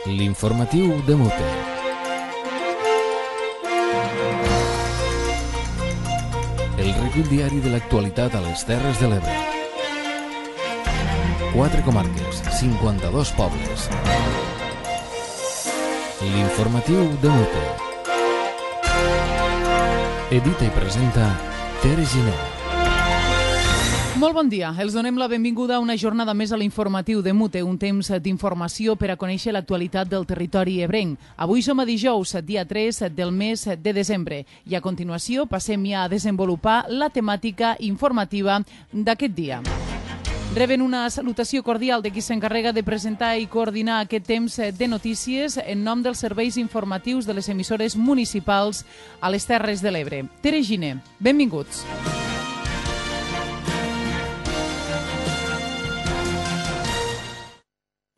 L'informatiu de Mute. El recull diari de l'actualitat a les Terres de l'Ebre. 4 comarques, 52 pobles. L'informatiu de Mute. Edita i presenta Tere Giner. Molt bon dia. Els donem la benvinguda a una jornada més a l'informatiu de Mute, un temps d'informació per a conèixer l'actualitat del territori ebrenc. Avui som a dijous, dia 3 del mes de desembre, i a continuació passem ja a desenvolupar la temàtica informativa d'aquest dia. Reben una salutació cordial de qui s'encarrega de presentar i coordinar aquest temps de notícies en nom dels serveis informatius de les emissores municipals a les Terres de l'Ebre. Tere Giner, benvinguts.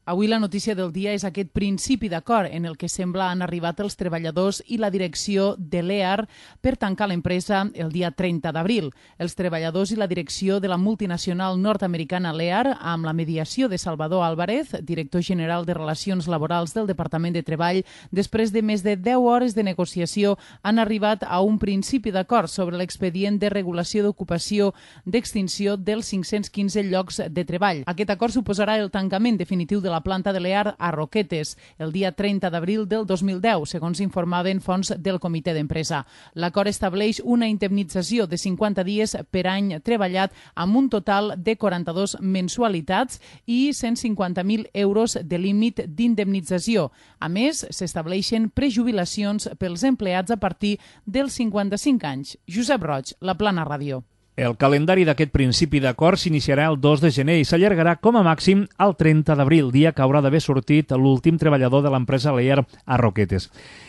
Avui la notícia del dia és aquest principi d'acord en el que sembla han arribat els treballadors i la direcció de l'EAR per tancar l'empresa el dia 30 d'abril. Els treballadors i la direcció de la multinacional nord-americana l'EAR, amb la mediació de Salvador Álvarez, director general de Relacions Laborals del Departament de Treball, després de més de 10 hores de negociació, han arribat a un principi d'acord sobre l'expedient de regulació d'ocupació d'extinció dels 515 llocs de treball. Aquest acord suposarà el tancament definitiu de la planta de l'EAR a Roquetes el dia 30 d'abril del 2010, segons informaven fonts del comitè d'empresa. L'acord estableix una indemnització de 50 dies per any treballat amb un total de 42 mensualitats i 150.000 euros de límit d'indemnització. A més, s'estableixen prejubilacions pels empleats a partir dels 55 anys. Josep Roig, La Plana Ràdio. El calendari d'aquest principi d'acord s'iniciarà el 2 de gener i s'allargarà com a màxim al 30 d'abril, dia que haurà d'haver sortit l'últim treballador de l'empresa l'EAR a Roquetes.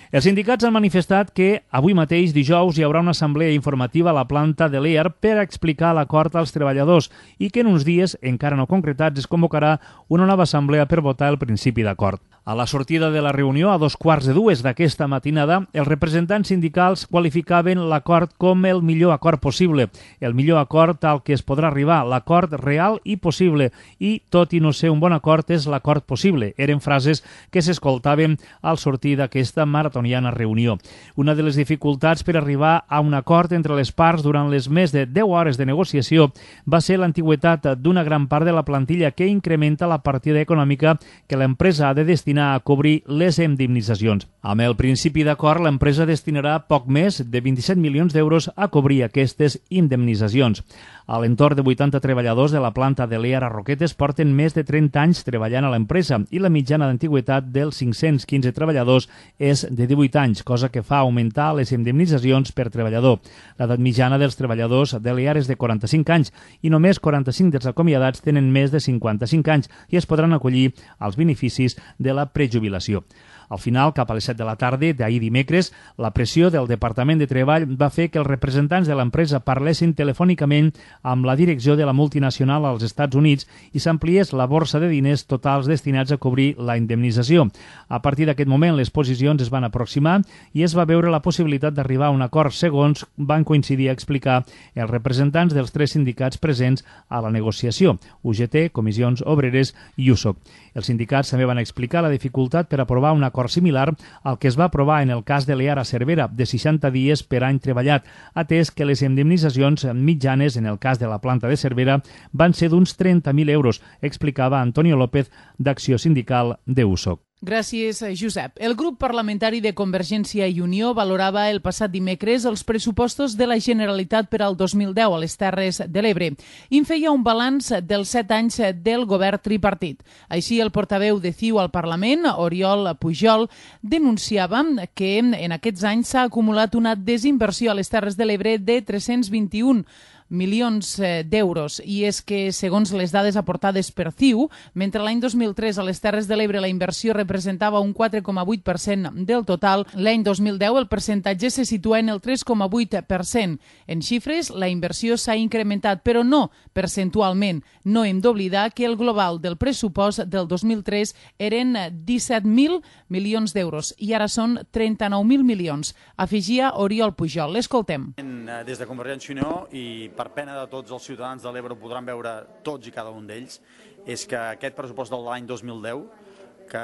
Els sindicats han manifestat que avui mateix, dijous, hi haurà una assemblea informativa a la planta de l'EAR per explicar l'acord als treballadors i que en uns dies, encara no concretats, es convocarà una nova assemblea per votar el principi d'acord. A la sortida de la reunió, a 2:15 d'aquesta matinada, els representants sindicals qualificaven l'acord com el millor acord possible, el millor acord al que es podrà arribar, l'acord real i possible, i, tot i no ser un bon acord, és l'acord possible. Eren frases que s'escoltaven al sortir d'aquesta maratoniana reunió. Una de les dificultats per arribar a un acord entre les parts durant les més de 10 hores de negociació va ser l'antigüitat d'una gran part de la plantilla que incrementa la partida econòmica que l'empresa ha de destinar a cobrir les indemnitzacions. Amb el principi d'acord, l'empresa destinarà poc més de 27 milions d'euros a cobrir aquestes indemnitzacions. A l'entorn de 80 treballadors de la planta de l'EAR a Roquetes porten més de 30 anys treballant a l'empresa i la mitjana d'antiguitat dels 515 treballadors és de 18 anys, cosa que fa augmentar les indemnitzacions per treballador. L'edat mitjana dels treballadors de l'EAR és de 45 anys i només 45 dels acomiadats tenen més de 55 anys i es podran acollir als beneficis de la prejubilació. Al final, cap a les 7 de la tarda d'ahir dimecres, la pressió del Departament de Treball va fer que els representants de l'empresa parlessin telefònicament amb la direcció de la multinacional als Estats Units i s'ampliés la borsa de diners totals destinats a cobrir la indemnització. A partir d'aquest moment, les posicions es van aproximar i es va veure la possibilitat d'arribar a un acord segons van coincidir a explicar els representants dels 3 sindicats presents a la negociació, UGT, Comissions Obreres i USOC. Els sindicats també van explicar la dificultat per aprovar un acord similar al que es va aprovar en el cas de l'EAR a Cervera, de 60 dies per any treballat, atès que les indemnitzacions mitjanes en el cas de la planta de Cervera van ser d'uns 30.000 euros, explicava Antonio López, d'Acció Sindical de USOC. Gràcies, Josep. El grup parlamentari de Convergència i Unió valorava el passat dimecres els pressupostos de la Generalitat per al 2010 a les Terres de l'Ebre i en feia un balanç dels 7 anys del govern tripartit. Així, el portaveu de CiU al Parlament, Oriol Pujol, denunciava que en aquests anys s'ha acumulat una desinversió a les Terres de l'Ebre de 321 milions d'euros. I és que, segons les dades aportades per CiU, mentre l'any 2003 a les Terres de l'Ebre la inversió representava un 4,8% del total, l'any 2010 el percentatge se situa en el 3,8%. En xifres, la inversió s'ha incrementat, però no percentualment. No hem d'oblidar que el global del pressupost del 2003 eren 17.000 milions d'euros i ara són 39.000 milions. Afegia Oriol Pujol. L'escoltem. Des de Convergència i Unió, i per pena de tots els ciutadans de l'Ebre ho podran veure tots i cada un d'ells, és que aquest pressupost de l'any 2010 que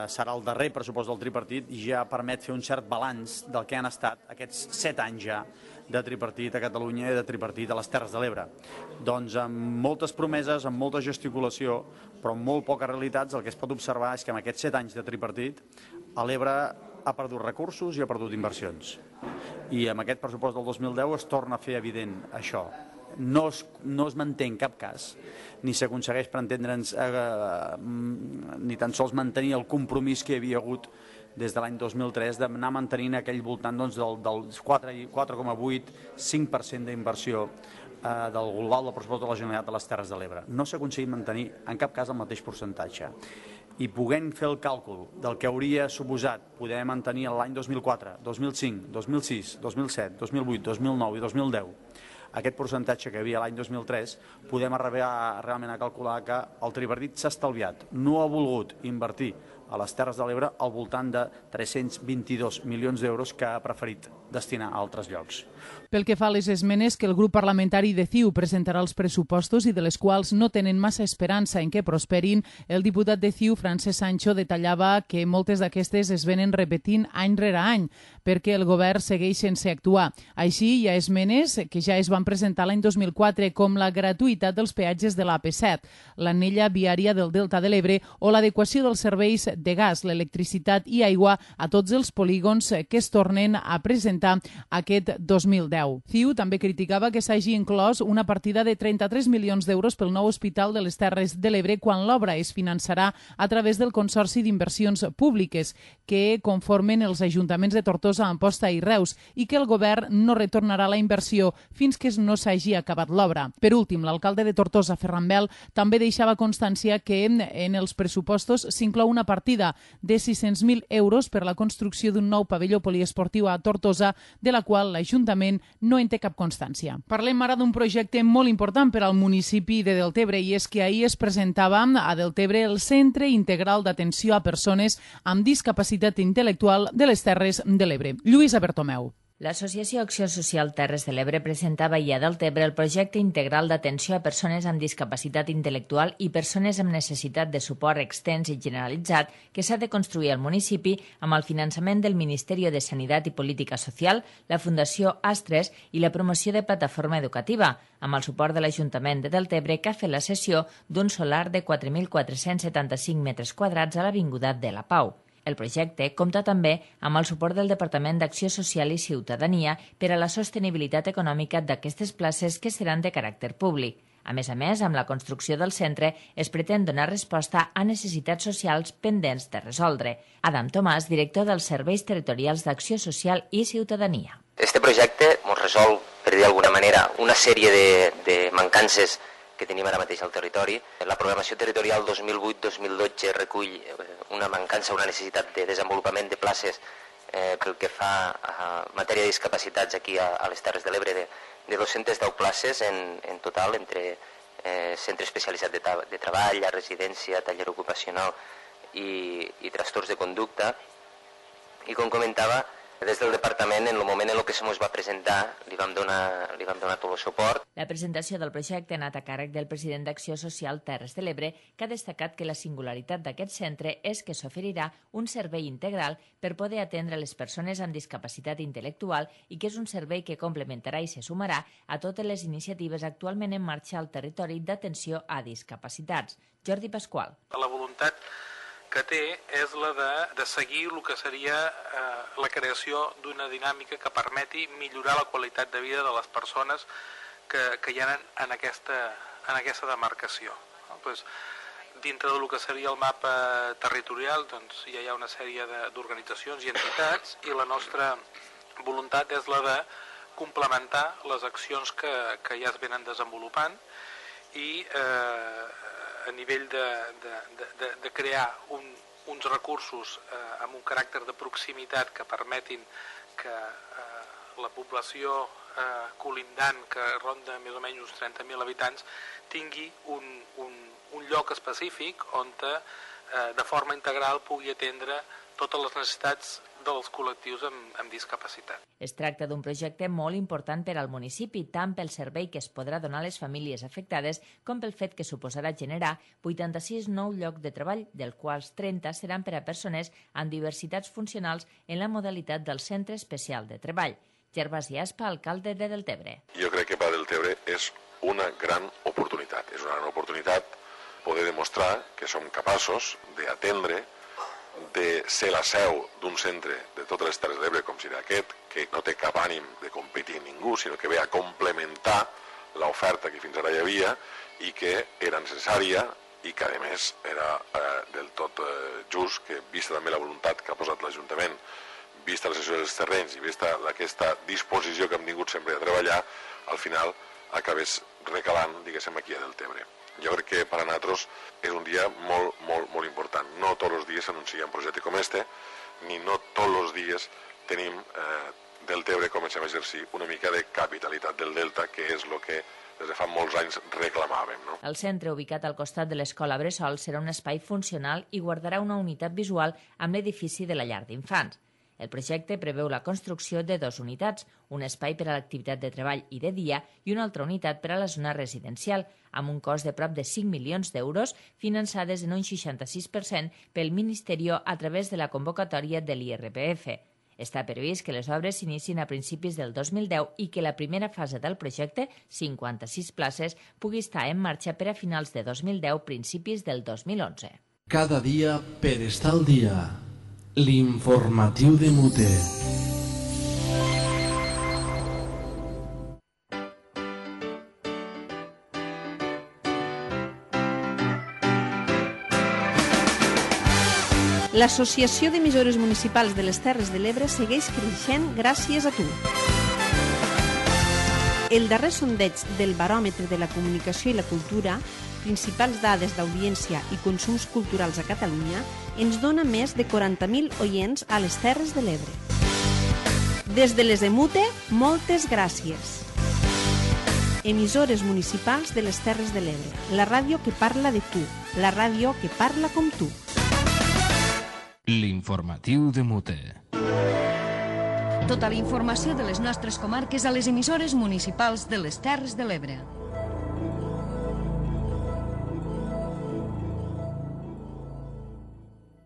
serà el darrer pressupost del tripartit, ja permet fer un cert balanç del que han estat aquests 7 anys ja de tripartit a Catalunya i de tripartit a les Terres de l'Ebre. Doncs amb moltes promeses, amb molta gesticulació, però amb molt poques realitats, el que es pot observar és que en aquests 7 anys de tripartit a l'Ebre ha perdut recursos i ha perdut inversions. I amb aquest pressupost del 2010 es torna a fer evident això. No es manté en cap cas, ni s'aconsegueix, per entendre'ns, ni tan sols mantenir el compromís que hi havia hagut des de l'any 2003 d'anar mantenint aquell voltant del 4,8-5% d'inversió del global del pressupost de la Generalitat de les Terres de l'Ebre. No s'ha aconseguit mantenir en cap cas el mateix percentatge. I podent fer el càlcul del que hauria suposat poder mantenir l'any 2004, 2005, 2006, 2007, 2008, 2009 i 2010 aquest percentatge que hi havia l'any 2003, podem arribar realment a calcular que el tripartit s'ha estalviat. No ha volgut invertir a les Terres de l'Ebre al voltant de 322 milions d'euros que ha preferit destinar a altres llocs. Pel que fa a les esmenes que el grup parlamentari de CiU presentarà als pressupostos i de les quals no tenen massa esperança en què prosperin, el diputat de CiU, Francesc Sancho, detallava que moltes d'aquestes es venen repetint any rere any perquè el govern segueix sense actuar. Així, hi ha esmenes que ja es van presentar l'any 2004, com la gratuïtat dels peatges de l'AP7, l'anella viària del Delta de l'Ebre o l'adequació dels serveis de gas, l'electricitat i aigua a tots els polígons que es tornen a presentar aquest 2010. CiU també criticava que s'hagi inclòs una partida de 33 milions d'euros pel nou Hospital de les Terres de l'Ebre quan l'obra es finançarà a través del Consorci d'Inversions Públiques que conformen els ajuntaments de Tortosa, Amposta i Reus i que el govern no retornarà la inversió fins que no s'hagi acabat l'obra. Per últim, l'alcalde de Tortosa, Ferran Bel, també deixava constància que en els pressupostos s'inclou una partida de 600.000 euros per la construcció d'un nou pavelló poliesportiu a Tortosa, de la qual l'Ajuntament no en té cap constància. Parlem ara d'un projecte molt important per al municipi de Deltebre i és que ahir es presentava a Deltebre el Centre Integral d'Atenció a Persones amb Discapacitat Intel·lectual de les Terres de l'Ebre. Lluïsa Bertomeu. L'Associació Acció Social Terres de l'Ebre presentava ahir a Deltebre el projecte integral d'atenció a persones amb discapacitat intel·lectual i persones amb necessitat de suport extens i generalitzat que s'ha de construir al municipi amb el finançament del Ministeri de Sanitat i Política Social, la Fundació Astres i la promoció de Plataforma Educativa, amb el suport de l'Ajuntament de Deltebre que ha fet la cessió d'un solar de 4.475 metres quadrats a l'Avinguda de la Pau. El projecte compta també amb el suport del Departament d'Acció Social i Ciutadania per a la sostenibilitat econòmica d'aquestes places que seran de caràcter públic. A més, amb la construcció del centre es pretén donar resposta a necessitats socials pendents de resoldre. Adam Tomàs, director dels Serveis Territorials d'Acció Social i Ciutadania. Este projecte ens resol, per dir d'alguna manera, una sèrie de mancances que tenim ara mateix al territori. La programació territorial 2008-2012 recull una mancança, una necessitat de desenvolupament de places pel que fa a matèria de discapacitats aquí a les Terres de l'Ebre de 210 places en total entre centre especialitzat de treball, la residència, taller ocupacional i trastorns de conducta. I com comentava, des del departament, en el moment en què se'ns va presentar, li vam donar tot el suport. La presentació del projecte ha anat a càrrec del president d'Acció Social Terres de l'Ebre, que ha destacat que la singularitat d'aquest centre és que s'oferirà un servei integral per poder atendre les persones amb discapacitat intel·lectual i que és un servei que complementarà i se sumarà a totes les iniciatives actualment en marxa al territori d'atenció a discapacitats. Jordi Pasqual. La voluntat que té és la de seguir el que seria la creació d'una dinàmica que permeti millorar la qualitat de vida de les persones que hi ha en aquesta demarcació. Dintre del que seria el mapa territorial ja hi ha una sèrie d'organitzacions i entitats i la nostra voluntat és la de complementar les accions que ja es venen desenvolupant i a nivell de crear uns recursos amb un caràcter de proximitat que permetin que la població colindant, que ronda més o menys uns 30.000 habitants, tingui un lloc específic on de forma integral pugui atendre totes les necessitats dels col·lectius amb discapacitat. Es tracta d'un projecte molt important per al municipi, tant pel servei que es podrà donar a les famílies afectades com pel fet que suposarà generar 86 nous llocs de treball, dels quals 30 seran per a persones amb diversitats funcionals en la modalitat del Centre Especial de Treball. Gervasi Aspa, alcalde de Deltebre. Jo crec que per a Deltebre és una gran oportunitat. És una gran oportunitat poder demostrar que som capaços d'atendre, de ser la seu d'un centre de totes les Terres de l'Ebre com serà aquest, que no té cap ànim de competir amb ningú, sinó que ve a complementar l'oferta que fins ara hi havia i que era necessària i que a més era del tot just, que vista també la voluntat que ha posat l'Ajuntament, vista la cessió dels terrenys i vista aquesta disposició que hem tingut sempre de treballar, al final acabés recalant, diguéssim, aquí a Deltebre. Jo crec que per a nosaltres és un dia molt, molt, molt important. No tots els dies s'anuncia un projecte com este, ni no tots els dies tenim Deltebre comencem a exercir una mica de capitalitat del Delta, que és el que des de fa molts anys reclamàvem. No? El centre, ubicat al costat de l'Escola Bressol, serà un espai funcional i guardarà una unitat visual amb l'edifici de la llar d'infants. El projecte preveu la construcció de 2 unitats, un espai per a l'activitat de treball i de dia i una altra unitat per a la zona residencial, amb un cost de prop de 5 milions d'euros, finançades en un 66% pel Ministeri a través de la convocatòria de l'IRPF. Està previst que les obres s'inicien a principis del 2010 i que la primera fase del projecte, 56 places, pugui estar en marxa per a finals de 2010, principis del 2011. Cada dia per estar al dia. L'informatiu de Mute. L'Associació d'Emissores Municipals de les Terres de l'Ebre segueix creixent gràcies a tu. El darrer sondeig del Baròmetre de la Comunicació i la Cultura, principals dades d'audiència i consums culturals a Catalunya, ens dona més de 40.000 oients a les Terres de l'Ebre. Des de les EMUTE, moltes gràcies. Emissores municipals de les Terres de l'Ebre, la ràdio que parla de tu, la ràdio que parla com tu. L'informatiu de Mute. Tota la informació de les nostres comarques a les emissores municipals de les Terres de l'Ebre.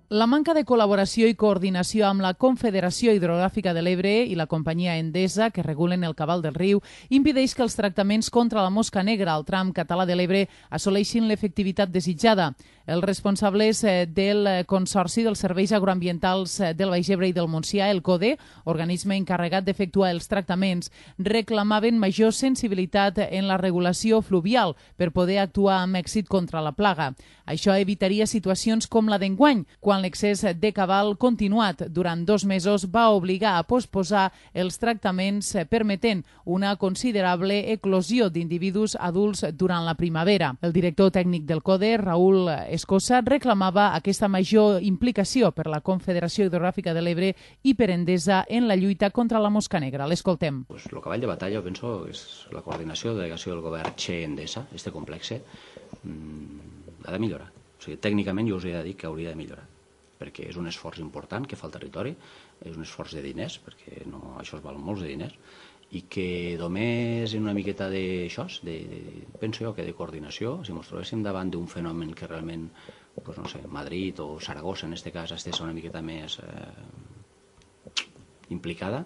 La manca de col·laboració i coordinació amb la Confederació Hidrogràfica de l'Ebre i la companyia Endesa, que regulen el cabal del riu, impedeix que els tractaments contra la mosca negra al tram català de l'Ebre assoleixin l'efectivitat desitjada. Els responsables del Consorci dels Serveis Agroambientals del Baix Ebre i del Montsià, el CODE, organisme encarregat d'efectuar els tractaments, reclamaven major sensibilitat en la regulació fluvial per poder actuar amb èxit contra la plaga. Això evitaria situacions com la d'enguany, quan l'excés de cabal continuat durant 2 mesos va obligar a posposar els tractaments, permetent una considerable eclosió d'individus adults durant la primavera. El director tècnic del CODE, Raül Escosa, reclamava aquesta major implicació per la Confederació Hidrogràfica de l'Ebre i per Endesa en la lluita contra la mosca negra. L'escoltem. El cavall de batalla, penso, és la coordinació de delegació del govern Che-Endesa, este complex, ha de millorar. O sigui, tècnicament jo us he de dir que hauria de millorar, perquè és un esforç important que fa el territori, és un esforç de diners, perquè no, això es val molts de diners, i que només una miqueta d'això, penso jo que de coordinació, si ens trobéssim davant d'un fenomen que realment, doncs no sé, Madrid o Saragossa en aquest cas estés una miqueta més implicada,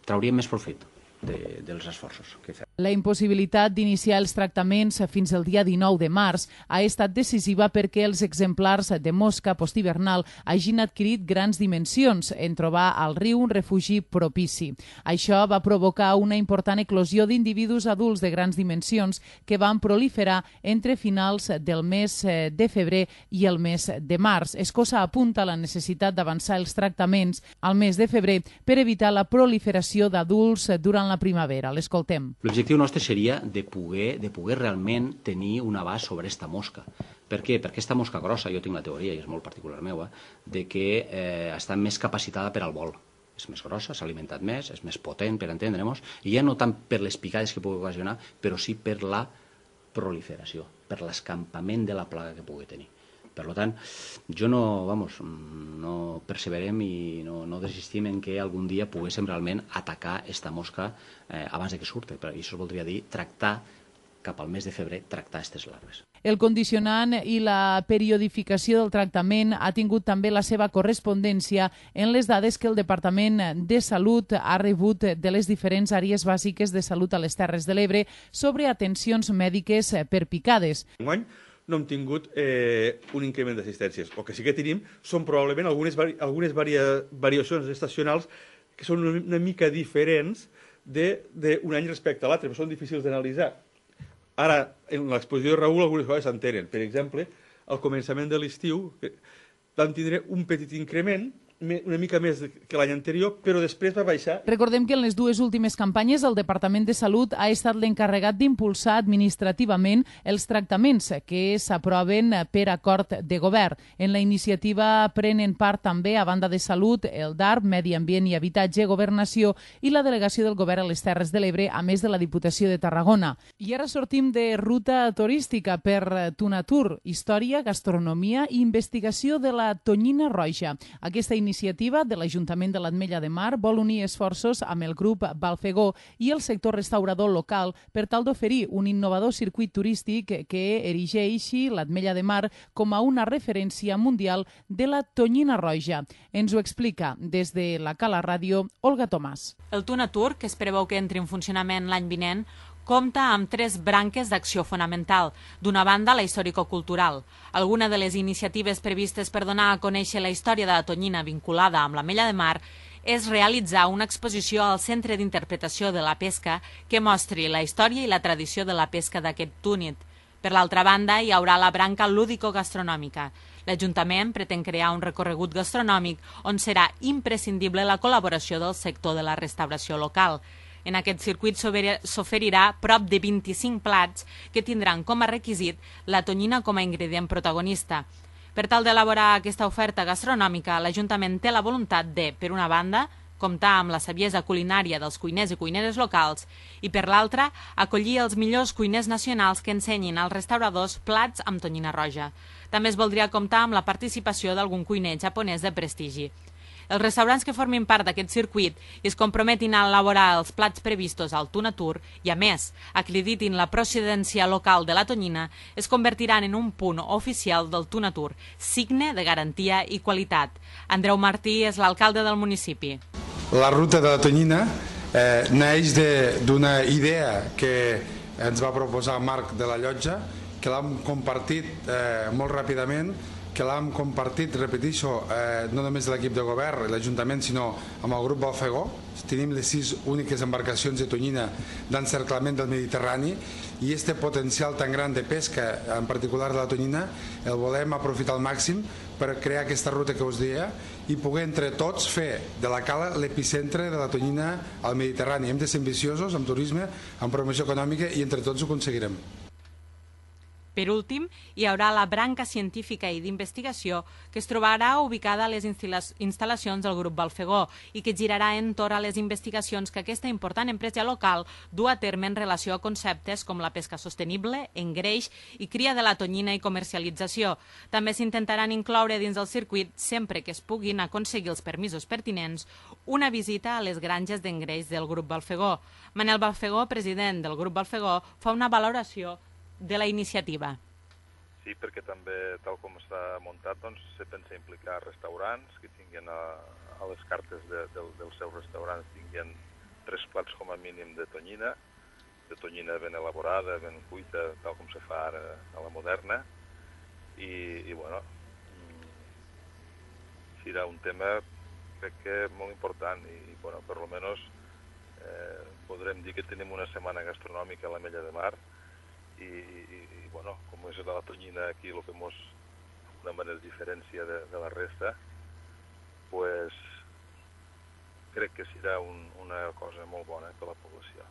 trauríem més profit dels esforços que fem. La impossibilitat d'iniciar els tractaments fins al dia 19 de març ha estat decisiva perquè els exemplars de mosca posthivernal hagin adquirit grans dimensions en trobar al riu un refugi propici. Això va provocar una important eclosió d'individus adults de grans dimensions que van proliferar entre finals del mes de febrer i el mes de març. Escosa apunta la necessitat d'avançar els tractaments al mes de febrer per evitar la proliferació d'adults durant la primavera. L'escoltem. L'objectiu nostre seria de poder realment tenir un abast sobre aquesta mosca. Per què? Perquè aquesta mosca grossa, jo tinc la teoria, i és molt particular meva, de que està més capacitada per al vol. És més grossa, s'ha alimentat més, és més potent, per entendre'ns, i ja no tant per les picades que pugui ocasionar, però sí per la proliferació. per l'escampament de la plaga que pugui tenir. Per tant, jo no perseverem i no desistim en que algun dia poguéssim realment atacar aquesta mosca abans que surti. I això voldria dir tractar, cap al mes de febrer, tractar aquestes larves. El condicionant i la periodificació del tractament ha tingut també la seva correspondència en les dades que el Departament de Salut ha rebut de les diferents àrees bàsiques de salut a les Terres de l'Ebre sobre atencions mèdiques per picades. Enguany no hem tingut un increment d'assistències. El que sí que tenim són probablement algunes variacions estacionals que són una mica diferents d'un any respecte a l'altre, però són difícils d'analitzar. Ara, en l'exposició de Raül, algunes coses s'entenen. Per exemple, al començament de l'estiu vam tindre un petit increment, una mica més que l'any anterior, però després va baixar. Recordem que en les dues últimes campanyes el Departament de Salut ha estat l'encarregat d'impulsar administrativament els tractaments que s'aproven per acord de govern. En la iniciativa prenen part també, a banda de Salut, el DARP, Medi Ambient i Habitatge, Governació i la delegació del Govern a les Terres de l'Ebre, a més de la Diputació de Tarragona. I ara sortim de ruta turística per Tunatur, història, gastronomia i investigació de la tonyina roja. Aquesta iniciativa de l'Ajuntament de l'Ametlla de Mar vol unir esforços amb el grup Balfegó i el sector restaurador local per tal d'oferir un innovador circuit turístic que erigeixi l'Ametlla de Mar com a una referència mundial de la tonyina roja. Ens ho explica des de la Cala Ràdio Olga Tomàs. El Tunatur, que es preveu que entri en funcionament l'any vinent, compta amb 3 branques d'acció fonamental. D'una banda, la històrico-cultural. Alguna de les iniciatives previstes per donar a conèixer la història de la tonyina vinculada amb l'Ametlla de Mar és realitzar una exposició al Centre d'Interpretació de la Pesca que mostri la història i la tradició de la pesca d'aquest túnid. Per l'altra banda, hi haurà la branca lúdico-gastronòmica. L'Ajuntament pretén crear un recorregut gastronòmic on serà imprescindible la col·laboració del sector de la restauració local. En aquest circuit s'oferirà prop de 25 plats que tindran com a requisit la tonyina com a ingredient protagonista. Per tal d'elaborar aquesta oferta gastronòmica, l'Ajuntament té la voluntat de, per una banda, comptar amb la saviesa culinària dels cuiners i cuineres locals i, per l'altra, acollir els millors cuiners nacionals que ensenyin als restauradors plats amb tonyina roja. També es voldria comptar amb la participació d'algun cuiner japonès de prestigi. Els restaurants que formin part d'aquest circuit i es comprometin a elaborar els plats previstos al Tunatur i, a més, acreditin la procedència local de la tonyina, es convertiran en un punt oficial del Tunatur, signe de garantia i qualitat. Andreu Martí és l'alcalde del municipi. La ruta de la tonyina neix d'una idea que ens va proposar Marc de la Llotja, que l'hem compartit molt ràpidament, que l'hem compartit, repeteixo, no només l'equip de govern i l'Ajuntament, sinó amb el grup Balfegó. Tenim les 6 úniques embarcacions de tonyina d'encerclament del Mediterrani i aquest potencial tan gran de pesca, en particular de la tonyina, el volem aprofitar al màxim per crear aquesta ruta que us deia i poder entre tots fer de la Cala l'epicentre de la tonyina al Mediterrani. Hem de ser ambiciosos amb turisme, amb promoció econòmica i entre tots ho aconseguirem. Per últim, hi haurà la branca científica i d'investigació que es trobarà ubicada a les instal·lacions del grup Balfegó i que girarà entorn a les investigacions que aquesta important empresa local du a terme en relació a conceptes com la pesca sostenible, engreix i cria de la tonyina i comercialització. També s'intentaran incloure dins del circuit, sempre que es puguin aconseguir els permisos pertinents, una visita a les granges d'engreix del grup Balfegó. Manel Balfegó, president del grup Balfegó, fa una valoració de la iniciativa. Sí, perquè també, tal com està muntat, doncs, se pensa implicar restaurants que tinguin a les cartes dels seus restaurants tinguin 3 plats com a mínim de tonyina ben elaborada, ben cuita, tal com se fa ara a la moderna, i bueno, serà un tema, crec que molt important, i bueno, per almenys podrem dir que tenim una setmana gastronòmica a l'Ametlla de Mar, i bueno, com és la tonyina aquí el que d'una manera diferència de la resta, pues crec que serà una cosa molt bona per a la població.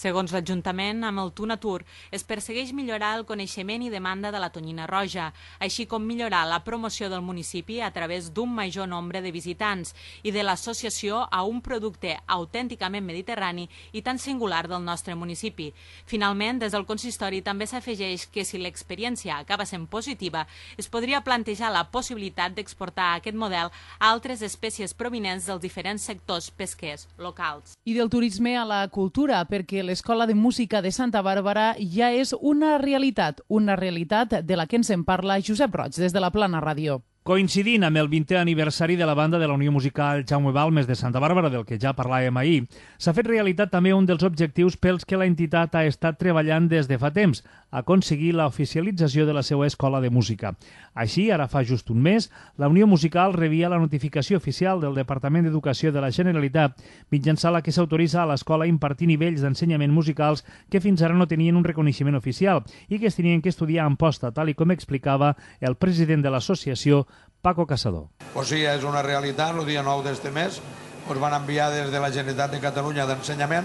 Segons l'Ajuntament, amb el Tunatur es persegueix millorar el coneixement i demanda de la tonyina roja, així com millorar la promoció del municipi a través d'un major nombre de visitants i de l'associació a un producte autènticament mediterrani i tan singular del nostre municipi. Finalment, des del consistori també s'afegeix que si l'experiència acaba sent positiva, es podria plantejar la possibilitat d'exportar aquest model a altres espècies provinents dels diferents sectors pesquers locals. I del turisme a la cultura, perquè l'Escola de Música de Santa Bàrbara ja és una realitat de la que ens en parla Josep Roig, des de la Plana Ràdio. Coincidint amb el 20è aniversari de la banda de la Unió Musical Jaume Balmes de Santa Bàrbara, del que ja parlàvem ahir, s'ha fet realitat també un dels objectius pels que la entitat ha estat treballant des de fa temps, aconseguir l'oficialització de la seva escola de música. Així, ara fa just un mes, la Unió Musical rebia la notificació oficial del Departament d'Educació de la Generalitat, mitjançant la que s'autoritza a l'escola a impartir nivells d'ensenyament musicals que fins ara no tenien un reconeixement oficial i que es tenien que estudiar en posta, tal i com explicava el president de l'associació, Paco Casador. O sigui, és una realitat, el dia 9 d'este mes ens van enviar des de la Generalitat de Catalunya d'Ensenyament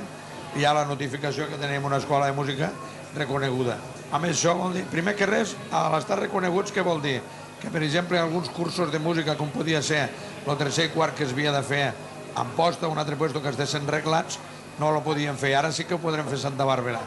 i hi ha la notificació que tenim una escola de música reconeguda. A més, això vol dir, primer que res, a l'estar reconeguts, què vol dir? Que, per exemple, alguns cursos de música, com podia ser el tercer i quart que es havia de fer en posta, un altre puesto que estessin reglats, no lo podien fer. Ara sí que ho podrem fer a Santa Bàrbara.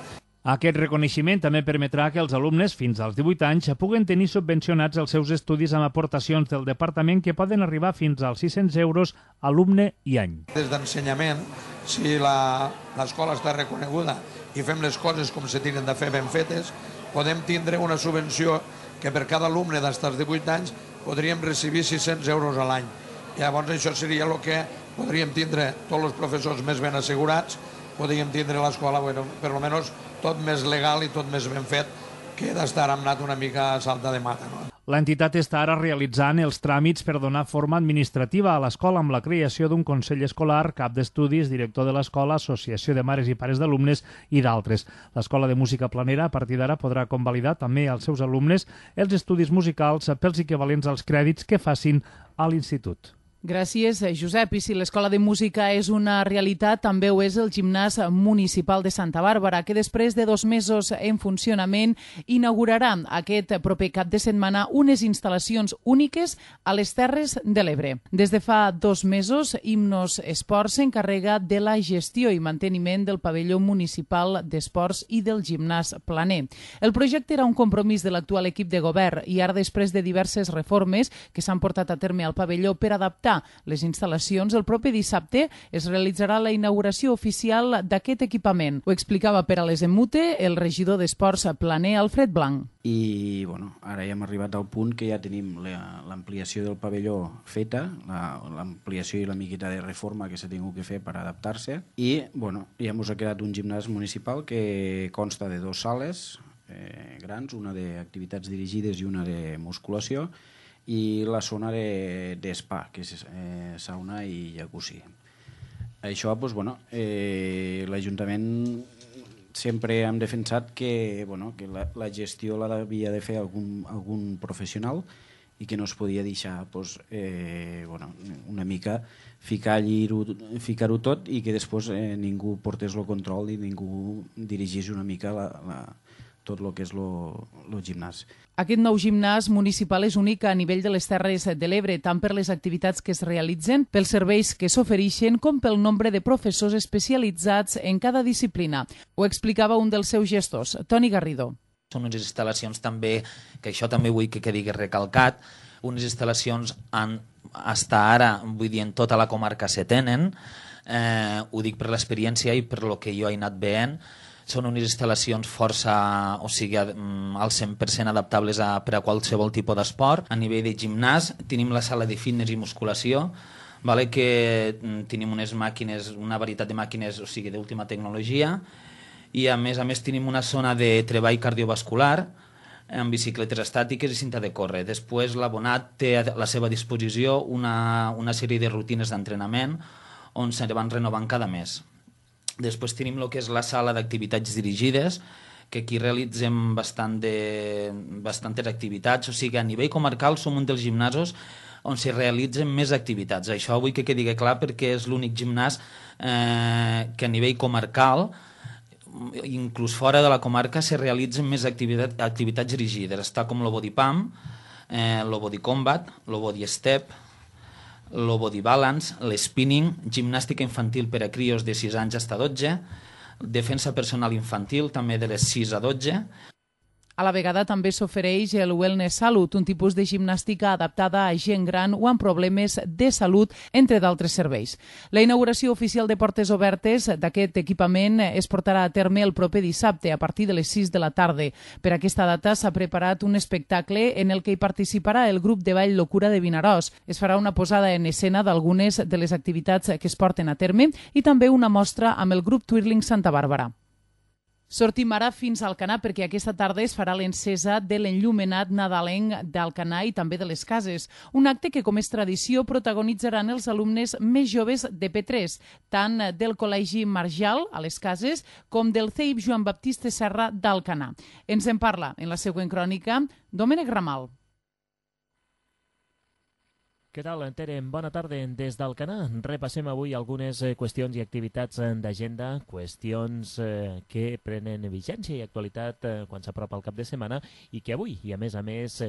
Aquest reconeixement també permetrà que els alumnes fins als 18 anys puguen tenir subvencionats els seus estudis amb aportacions del departament que poden arribar fins als 600 euros alumne i any. Des d'ensenyament, si l'escola està reconeguda i fem les coses com se tenen de fer ben fetes, podem tindre una subvenció que per cada alumne d'hasta els 18 anys podríem recibir 600 euros a l'any. Llavors això seria el que podríem tindre tots els professors més ben assegurats, podríem tindre l'escola, bueno, per almenys tot més legal i tot més ben fet que d'estar anat una mica a salta de mata. No? L'entitat està ara realitzant els tràmits per donar forma administrativa a l'escola amb la creació d'un consell escolar, cap d'estudis, director de l'escola, associació de mares i pares d'alumnes i d'altres. L'escola de música planera a partir d'ara podrà convalidar també als seus alumnes els estudis musicals pels equivalents als crèdits que facin a l'institut. Gràcies, Josep. I si l'Escola de Música és una realitat, també ho és el Gimnàs Municipal de Santa Bàrbara, que després de 2 mesos en funcionament inaugurarà aquest proper cap de setmana unes instal·lacions úniques a les Terres de l'Ebre. Des de fa 2 mesos, Himnos Esports s'encarrega de la gestió i manteniment del pavelló municipal d'esports i del gimnàs planer. El projecte era un compromís de l'actual equip de govern i ara, després de diverses reformes que s'han portat a terme al pavelló per adaptar les instal·lacions, el proper dissabte es realitzarà la inauguració oficial d'aquest equipament. Ho explicava per a les Emute el regidor d'Esports planer, Alfred Blanc. I bueno, ara ja hem arribat al punt que ja tenim l'ampliació del pavelló feta, l'ampliació i la miqueta de reforma que s'ha tingut que fer per adaptar-se, i bueno, ja ens ha quedat un gimnàs municipal que consta de 2 sales grans, una d'activitats dirigides i una de musculació, i la zona d'espa, que és sauna i jacuzzi. Això, doncs, bueno, l'Ajuntament sempre hem defensat que la gestió l'havia de fer algun professional i que no es podia deixar una mica ficar-ho tot i que després ningú portés el control i ningú dirigís una mica tot el que és el gimnàs. Aquest nou gimnàs municipal és únic a nivell de les Terres de l'Ebre, tant per les activitats que es realitzen, pels serveis que s'ofereixen, com pel nombre de professors especialitzats en cada disciplina. Ho explicava un dels seus gestors, Toni Garrido. Són unes instal·lacions també, que això també vull que quedi recalcat, unes instal·lacions hasta ara, vull dir, en tota la comarca se tenen, ho dic per l'experiència i per lo que jo he anat veient. Són unes instal·lacions força, o sigui, al 100% adaptables per a qualsevol tipus d'esport. A nivell de gimnàs tenim la sala de fitness i musculació, que tenim unes màquines, una varietat de màquines, o sigui, d'última tecnologia, i a més tenim una zona de treball cardiovascular amb bicicletes estàtiques i cinta de córrer. Després l'abonat té a la seva disposició una sèrie de rutines d'entrenament on se van renovant cada mes. Després tenim el que és la sala d'activitats dirigides, que aquí realitzem bastantes activitats, o sigui, a nivell comarcal som un dels gimnasos on s'hi realitzen més activitats. Això vull que quedi clar perquè és l'únic gimnàs que a nivell comarcal inclús fora de la comarca se realitzen més activitats dirigides. Està com el body pump, el body combat, el body step, el body balance, l'spinning, gimnàstica infantil per a crios de 6 anys fins a 12, defensa personal infantil també de les 6 a 12. A la vegada també s'ofereix el Wellness Salut, un tipus de gimnàstica adaptada a gent gran o amb problemes de salut, entre d'altres serveis. La inauguració oficial de portes obertes d'aquest equipament es portarà a terme el proper dissabte a partir de les 6 de la tarda. Per aquesta data s'ha preparat un espectacle en el que hi participarà el grup de ball Locura de Vinaròs. Es farà una posada en escena d'algunes de les activitats que es porten a terme i també una mostra amb el grup Twirling Santa Bàrbara. Sortim ara fins a Alcanar perquè aquesta tarda es farà l'encesa de l'enllumenat nadalenc d'Alcanar i també de les cases. Un acte que, com és tradició, protagonitzaran els alumnes més joves de P3, tant del Col·legi Marjal, a les cases, com del CEIP Joan Baptista Serra d'Alcanar. Ens en parla en la següent crònica Domènec Ramal. Què tal, Tere? Bona tarda des d'Alcanar. Repassem avui algunes qüestions i activitats d'agenda, qüestions que prenen vigència i actualitat quan s'apropa el cap de setmana i que avui, i a més,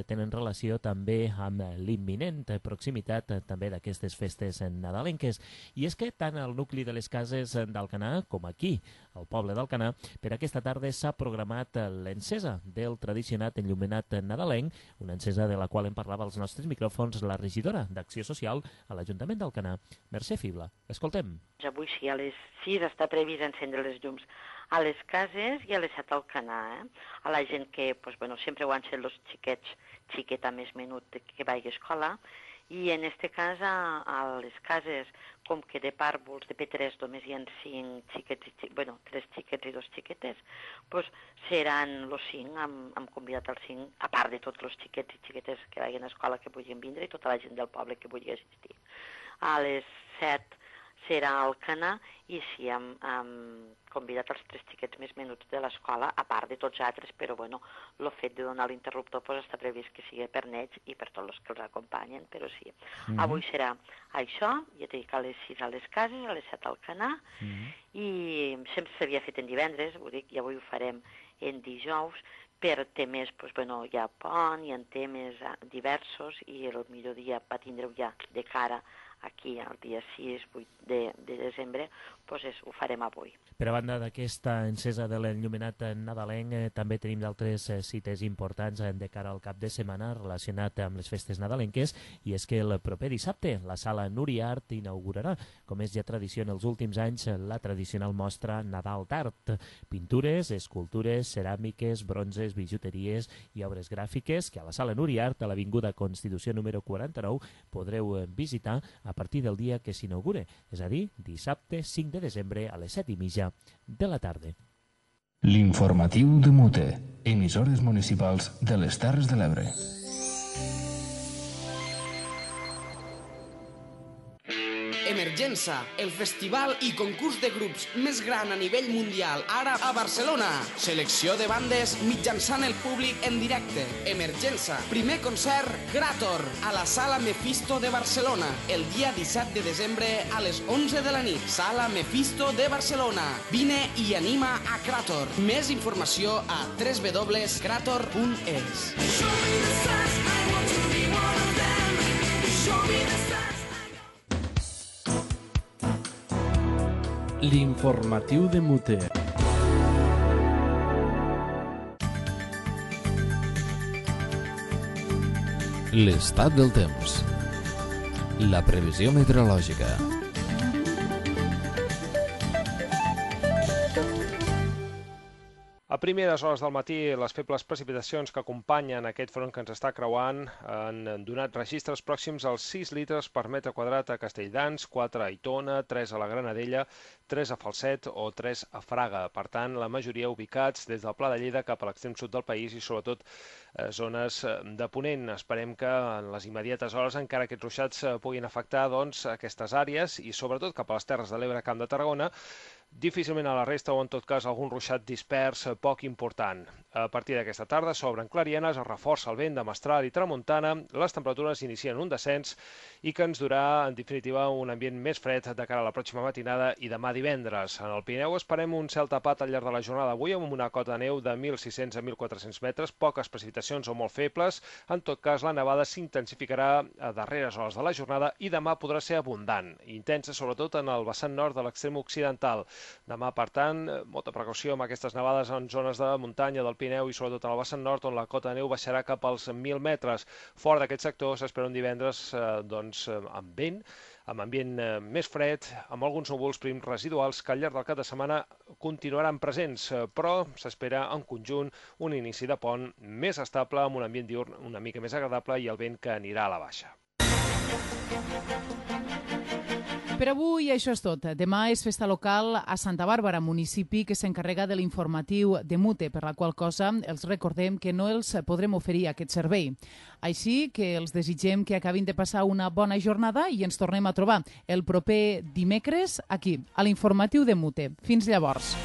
tenen relació també amb l'imminent proximitat també d'aquestes festes nadalenques. I és que tant al nucli de les cases d'Alcanar com aquí, al poble d'Alcanar, per aquesta tarda s'ha programat l'encesa del tradicionat enllumenat nadalenc, una encesa de la qual en parlava als nostres micròfons la regidora d'Acció Social a l'Ajuntament d'Alcanar, Mercè Fibla. Escoltem. Avui sí, a les 6 està previst encendre les llums a les cases i a les 7 a Alcanar. A la gent que sempre ho han set els xiquets, xiqueta més menut que vagi a escola, i en aquest cas a les cases, com que de pàrvuls de P3 només hi ha 5 xiquets, 3 xiquets i 2 xiquetes, seran els 5, hem convidat els 5, a part de tots els xiquets i xiquetes que vagin a escola que vulguin vindre i tota la gent del poble que vulgui assistir. A les 7 serà a Alcanar i sí, hem convidat els 3 xiquets més menuts de l'escola, a part de tots altres, però el fet de donar l'interruptor està previst que sigui per nets i per tots els que els acompanyen, però sí. Avui serà això, ja t'he dit a les 6 a les cases, a les 7 a Alcanar, i sempre s'havia fet en divendres, ho dic, i avui ho farem en dijous, per temes, hi ha pont, hi ha temes diversos, i el millor dia va tindre-ho ja de cara aquí el dia 6-8 de desembre, ho farem avui. Per a banda d'aquesta encesa de l'enllumenat nadalenc, també tenim d'altres cites importants de cara al cap de setmana relacionat amb les festes nadalenques, i és que el proper dissabte la sala Núria Art inaugurarà, com és ja tradició en els últims anys, la tradicional mostra Nadal d'Art. Pintures, escultures, ceràmiques, bronzes, bijuteries i obres gràfiques que a la sala Núria Art, a l'Avinguda Constitució número 49, podreu visitar a partir del dia que s'inaugure, és a dir, dissabte 5 de desembre a les 7:30 de la tarda. L'informatiu de Mute, emissores municipals de les Terres de l'Ebre. Emergença, el festival i concurs de grups més gran a nivell mundial, ara a Barcelona. Selecció de bandes mitjançant el públic en directe. Emergença, primer concert Krator, a la Sala Mephisto de Barcelona, el dia 17 de desembre a les 11 de la nit. Sala Mephisto de Barcelona. Vine i anima a Krator. Més informació a www.krator.es. L'informatiu de Mute. L'estat del temps. La previsió meteorològica. A primeres hores del matí, les febles precipitacions que acompanyen aquest front que ens està creuant han donat registres pròxims als 6 litres per metre quadrat a Castelldans, 4 a Aitona, 3 a la Granadella, 3 a Falset o 3 a Fraga. Per tant, la majoria ubicats des del Pla de Lleida cap a l'extrem sud del país i sobretot zones de Ponent. Esperem que en les immediates hores encara aquests ruixats puguin afectar aquestes àrees i sobretot cap a les Terres de l'Ebre, Camp de Tarragona, difícilment a la resta o en tot cas algun ruixat dispers poc important. A partir d'aquesta tarda s'obren clarienes, es reforça el vent de mestral i tramuntana, les temperatures inicien un descens i que ens durà, en definitiva, un ambient més fred de cara a la pròxima matinada i demà divendres. En el Pirineu esperem un cel tapat al llarg de la jornada d'avui amb una cota de neu de 1.600 a 1.400 metres, poques precipitacions o molt febles. En tot cas, la nevada s'intensificarà a darreres hores de la jornada i demà podrà ser abundant, intensa sobretot en el vessant nord de l'extrem occidental. Demà, per tant, molta precaució amb aquestes nevades en zones de muntanya del Pirineu i sobretot en el vessant nord, on la cota de neu baixarà cap als 1.000 metres. Fora d'aquest sector s'espera un divendres amb vent, amb ambient més fred, amb alguns núvols prims residuals que al llarg del cap de setmana continuaran presents, però s'espera en conjunt un inici de pont més estable, amb un ambient diürn una mica més agradable i el vent que anirà a la baixa. Per avui això és tot. Demà és festa local a Santa Bàrbara, municipi que s'encarrega de l'informatiu de Mute, per la qual cosa els recordem que no els podrem oferir aquest servei. Així que els desitgem que acabin de passar una bona jornada i ens tornem a trobar el proper dimecres aquí, a l'informatiu de Mute. Fins llavors.